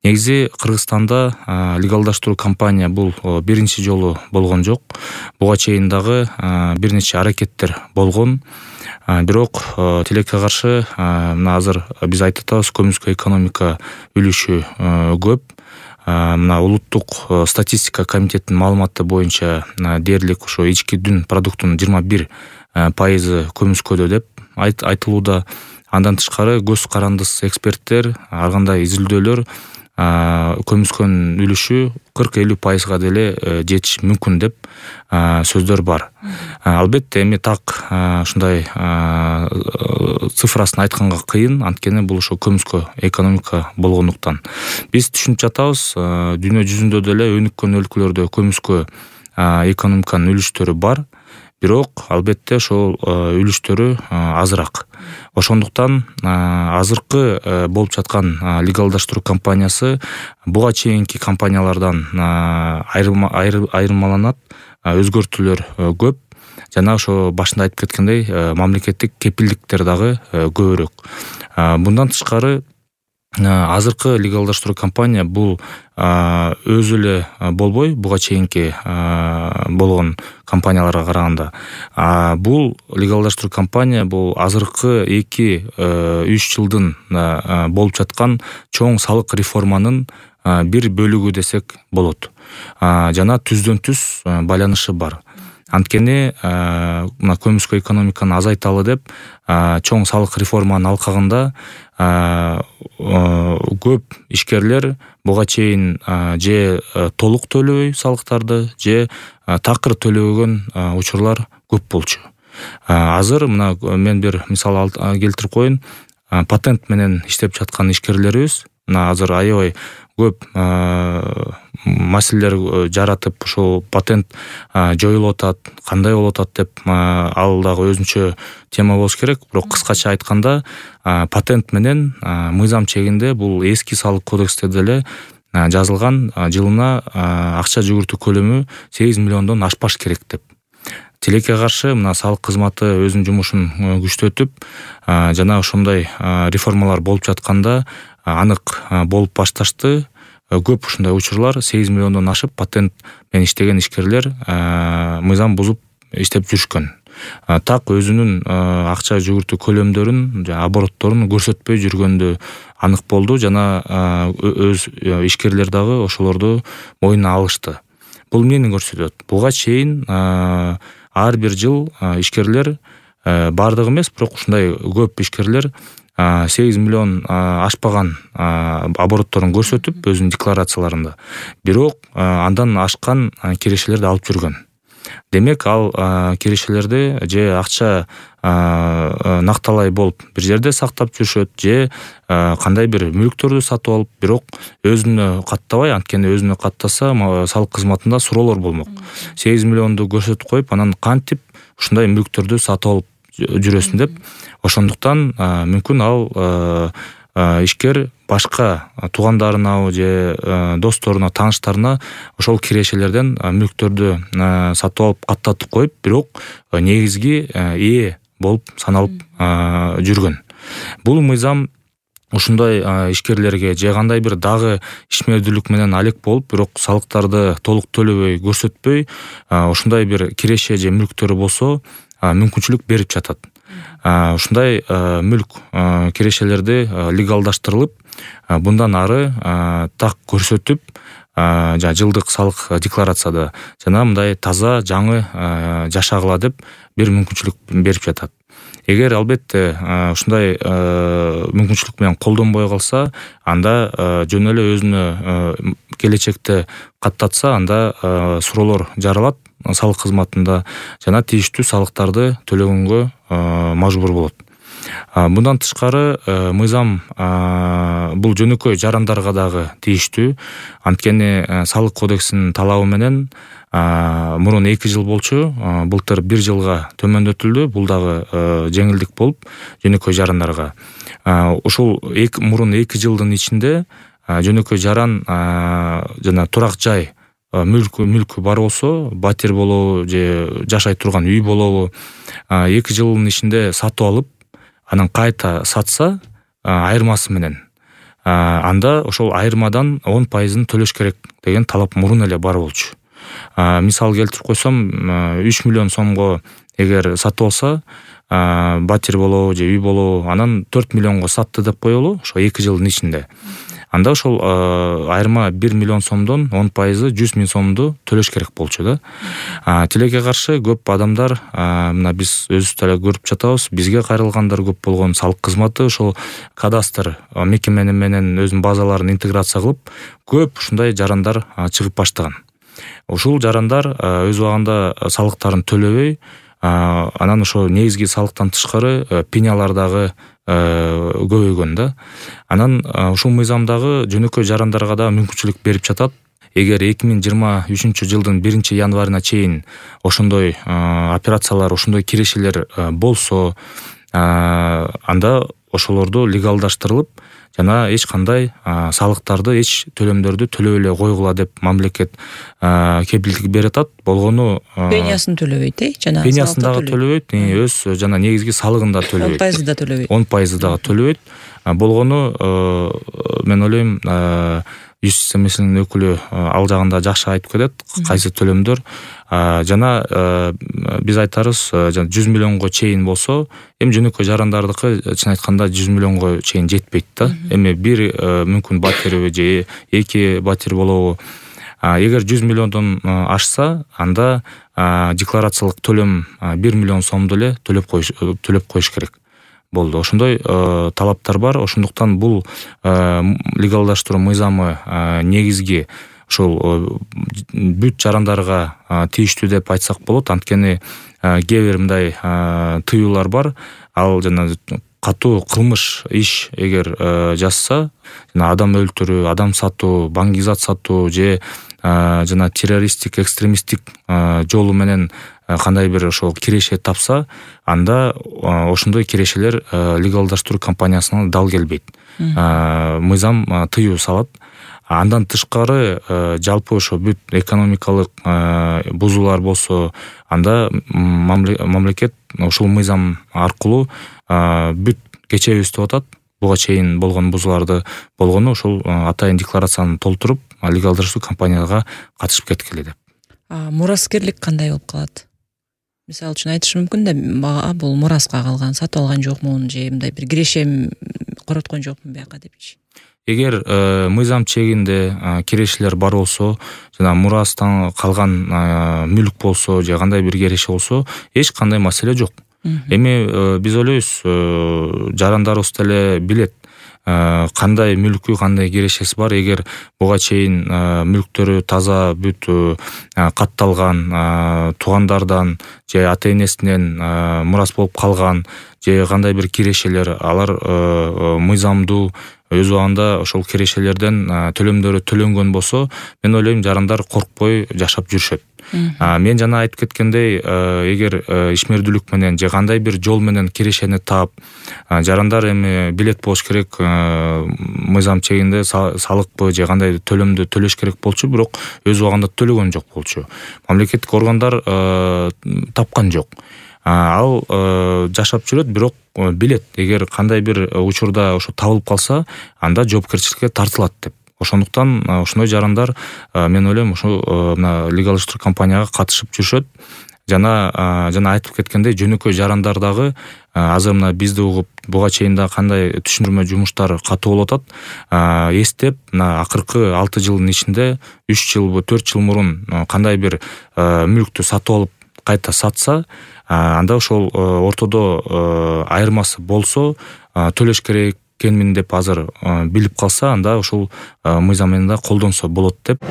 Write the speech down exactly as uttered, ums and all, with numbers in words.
Негизи Кыргызстанда легалдаштыруу кампания бул биринчи жолу болгон жок. Буга чейин дагы бир нече аракеттер болгон. Бирок тилекке каршы мына азыр биз айтып атабыз, көмүскө экономика үлүшү көп. Мына улуттук статистика комитетинин маалыматы боюнча дээрлик ошо ички дүн продуктунун жыйырма бир пайызы көмүскөдө деп айтылууда. Андан тышкары көз карандыс эксперттер, ар кандай изилдөөлөр көмүскөнүн үлүшү кырк элүү пайызга деле жетиши мүмкүн деп сөздөр бар. Албетте эми так ушундай цифрасын айтканга кыйын, анткени бул ошо көмүскө экономика болгондуктан. Биз түшүнүп жатабыз, дүйнө жүзүндө деле өнүккөн өлкөлөрдө көмүскө экономиканын үлүштөрү бар. Бирок албетте ошол үлүштөрү азыраак. Ошондуктан азыркы болуп жаткан легалдаштыруу кампаниясы буга чейинки кампаниялардан айырмаланат, өзгөртүүлөр көп. Жана ошо башында айтып кеткендей, мамлекеттик кепилдиктер дагы көбүрөөк. Мындан тышкары азыркы легалдаштыруу кампания бул өзү эле болбой, буга чейинки болгон компанияларга караганда. Бул легалдаштыруу кампания бул азыркы эки үч жылдын болуп жаткан чоң салык реформанын бир бөлүгү десек болот. Жана түздөн түз байланышы бар. Анткени мына көмүскө экономиканы азайталы деп чоң салык реформанын алкагында көп ишкерлер буга чейин же толук төлөбөй салыктарды, же такыр төлөбөгөн учурлар көп болчу. Азыр мына мен бир мисал келтирип коеюн. Патент менен иштеп жаткан ишкерлерибиз мына азыр аябай көп маселелер жаратып, ошол патент жоюлуп атат, кандай болуп атат деп ал дагы өзүнчө тема болуш керек. Бирок кыскача айтканда, патент менен мыйзам чегинде бул эски салык кодексте деле жазылган, жылына акча жүгүртүү көлөмү сегиз миллиондон ашпаш керек деп. Тилекке каршы мына салык кызматы өзүнүн жумушун күчтөтүп, жана ошондой реформалар болуп жатканда анык болуп башташты. Көп ушундай учурлар сегиз миллиондон ашып, патент менен иштеген ишкерлер мыйзам бузуп иштеп жүрүшкөн. Так өзүнүн акча жүгүртүү көлөмдөрүн, оборотторун көрсөтпөй жүргөндү анык болду, жана өз ишкерлер дагы ошолорду мойнуна алышты. Бул эмнени көрсөтөт? Буга чейин ар бир жыл ишкерлер, бардыгы эмес, бирок ушундай көп ишкерлер сегиз миллион ашпаган оборотторун көрсөтүп өзүнүн декларацияларында. Бирок андан ашкан кирешелерди алып жүргөн. Демек, ал кирешелерди же акча накталай болуп бир жерде сактап жүрүшөт, же кандай бир мүлктөрдү сатып алып, бирок өзүнө каттабай, анткени өзүнө каттаса салык кызматында суроолор болмок. сегиз миллионду көрсөтүп коюп, анан кантип ушундай мүлктөрдү сатып алып жүрөсүн деп. Ошондуктан мүмкүн ал ишкер башка туугандарына же досторуна, тааныштарына ошол кирешелерден мүлктөрдү сатып алып каттатып коюп, бирок негизги ээ болуп саналып жүргөн. Бул мыйзам ушундай ишкерлерге же кандай бир дагы ишмердүүлүк менен алек болуп, бирок салыктарды толук төлөбөй, көрсөтпөй, ушундай бир киреше же мүлктөрү болсо мүмкүнчүлүк берип жатат. Ушундай мүлк кирешелерди легалдаштырылып, bundan ары так көрсөтүп, жана жылдык салык декларацияда жана мындай таза жаңы жашагыла деп бир мүмкүнчүлүк берип жатат. Эгер албетте ушундай мүмкүнчүлүк менен колдонбой калса, анда жөн эле өзүнө келечекте каттатса, анда суроолор жаралат салык кызматында жана тийиштүү салыктарды төлөгөнгө мажбур болот. Мындан тышкары мыйзам бул жөнөкөй жарандарга дагы тийиштүү. Анткени салык кодексинин талабы менен мурун эки жыл болчу, былтыр бир жылга төмөндөтүлдү. Бул дагы жеңилдик болуп жөнөкөй жарандарга. Ушул мурун эки жылдын ичинде жөнөкөй жаран жана турак жай мүлкү мүлкү бар болсо, батир болобу же жашай турган үй болобу, эки жылдын ичинде сатып алып, анан кайта сатса, айырмасы менен анда ошол айырмадан он пайызын төлөш керек деген талап мурун эле бар болчу. Мисал келтирип койсом, үч миллион сомго эгер сатып алса, батир болобу же үй болобу, анан төрт миллионго сатты деп коелу ошо эки жылдын ичинде. Анда ошол айырма бир миллион сомдон он пайызы жүз миң сомду төлөш керек болчу да. Тилекке каршы көп адамдар, мына биз өзүбүз деле көрүп жатабыз, бизге кайрылгандар көп болгон, салык кызматы ошол кадастр мекемени менен өзүнүн базаларын интеграция кылып, көп ушундай жарандар чыгып баштаган. Ушул жарандар өз убагында салыктарын төлөбөй, анан ошо негизги салыктан тышкары пенялар дагы көбөйгөн да. Анан ушул мыйзамдагы жөнөкөй жарандарга да мүмкүнчүлүк берип жатат. Эгер эки миң жыйырма үчүнчү жылдын биринчи январына чейин ошондой операциялар, ошондой кирешелер болсо, анда ошолорду легалдаштырылып, жана эч кандай салыктарды, эч төлөмдөрдү төлөп эле койгула деп мамлекет кепилдик берип атат. Болгону пениясын төлөбөйт, э? Жана пениясын дагы төлөбөйт, өз жана негизги салыгын да төлөбөйт. он пайызы да төлөбөйт. он пайызы дагы төлөбөйт. Болгону мен ойлойм, юстиция министринин өкүлү ал жагында жакшы айтып кетет, кайсы төлөмдөр. Жана биз айтарыз, жүз миллионго чейин болсо, эми жөнөкөй жарандардыкы чын айтканда жүз миллионго чейин жетпейт да. Эми бир мүмкүн батири же эки батир болобу. Эгер жүз миллиондон ашса, анда декларациялык төлөм бир миллион сомду эле төлөп коюш төлөп коюш керек болду. Ошондой талаптар бар. Ошондуктан бул легалдаштыруу мыйзамы негизги ошол бүт жарандарга тийиштүү деп айтсак болот. Анткени кээ бир мындай тыюулар бар. Ал жана катуу кылмыш иш эгер жазса, жана адам өлтүрүү, адам сатуу, баңгизат сатуу же жана террористтик, экстремисттик жолу менен кандай бир ошол киреше тапса, анда ошондой кирешелер легалдаштыруу компаниясына дал келбейт. Мыйзам тыюу салат. Андан тышкары жалпы ошо бүт экономикалык бузуулар болсо, анда мамлекет ушул мыйзам аркылуу бүт кечебиз деп атат. Буга чейин болгон бузууларды болгону ошол атайын декларацияны толтуруп, легалдаштыруу компанияга катышып кеткиле деп. Мураскерлик кандай болуп калат? Мисалы үчүн айтышы мүмкүн да, бул мураска калган, сатып алган жокмун же мындай бир кирешем короткон жокмун бияка депчи. Эгер мыйзам чегинде кирешелер бар болсо, жана мурастан калган мүлк болсо же кандай бир киреше болсо, эч кандай маселе жок. Эми биз ойлойбуз, жарандарыбыз деле билет кандай мүлкү, кандай кирешеси бар. Эгер буга чейин мүлктөрү таза, бүт катталган, туугандардан же ата энесинен мурас болуп калган же кандай бир кирешелер, алар мыйзамдуу өз убагында ошол кирешелерден төлөмдөрү төлөнгөн болсо, мен ойлойм жарандар коркпой жашап жүрүшөт. Мен жана айтып кеткендей, эгер ишмердүүлүк менен же кандай бир жол менен кирешени таап, жарандар эми билет болуш керек, мыйзам чегинде салыкпы же кандай төлөмдү төлөш керек болчу, бирок өз убагында төлөгөн жок болчу. Мамлекеттик органдар тапкан жок. Ал жашап жүрөт, бирок билет, эгер кандай бир учурда ошо табылып калса, анда жоопкерчиликке тартылат деп. Ошондуктан ошондой жарандар, мен ойлойм, ошо мына легалдаштыруу компанияга катышып жүрүшөт. Жана жана айтып кеткендей, жөнөкөй жарандар дагы азыр мына бизди угуп, буга чейин да кандай түшүндүрмө жумуштар катуу болуп атат, эстеп, мына акыркы алты жылдын ичинде үч жылбы, төрт жыл мурун кандай бир мүлктү сатып алып кайта сатса, анда ошол ортодо айырмасы болсо, төлөш керек экенмин деп азыр билип калса, анда ушул мыйзам менен да колдонсо болот деп.